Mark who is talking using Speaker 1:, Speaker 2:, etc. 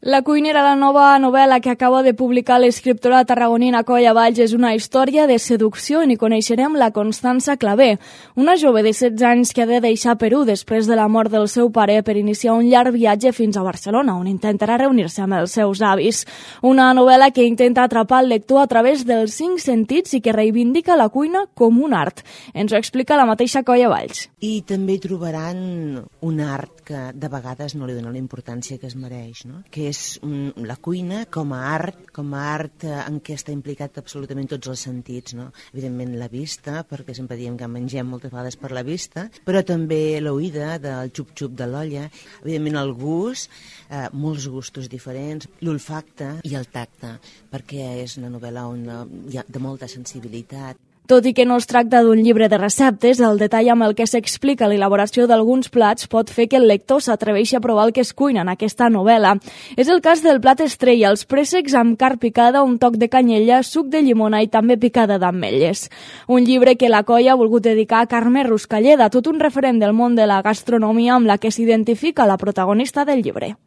Speaker 1: La cuinera, la nova novel·la que acaba de publicar l'escriptora tarragonina Coia Valls, és una història de seducció on hi coneixerem la Constança Clavé, una jove de 16 anys que ha de deixar Perú després de la mort del seu pare per iniciar un llarg viatge fins a Barcelona, on intentarà reunir-se amb els seus avis. Una novel·la que intenta atrapar el lector a través dels 5 sentits i que reivindica la cuina com un art. Ens ho explica la mateixa Coia Valls.
Speaker 2: I també trobaran un art que de vegades no li dona la importància que es mereix, no? Que és la cuina com a art en què està implicat absolutament tots els sentits, no? Evidentment la vista, perquè sempre diem que mengem moltes vegades per la vista, però també l'oïda del xup-xup de l'olla, evidentment el gust, molts gustos diferents, l'olfacte i el tacte, perquè és una novel·la on hi ha de molta sensibilitat.
Speaker 1: Tot i que no es tracta d'un llibre de receptes, el detall amb el que s'explica l'elaboració d'alguns plats pot fer que el lector s'atreveixi a provar el que es cuina en aquesta novel·la. És el cas del plat estrella, els préssecs amb carn picada, un toc de canyella, suc de llimona i també picada d'ametlles. Un llibre que la Coia ha volgut dedicar a Carme Ruscalleda, tot un referent del món de la gastronomia amb la que s'identifica la protagonista del llibre.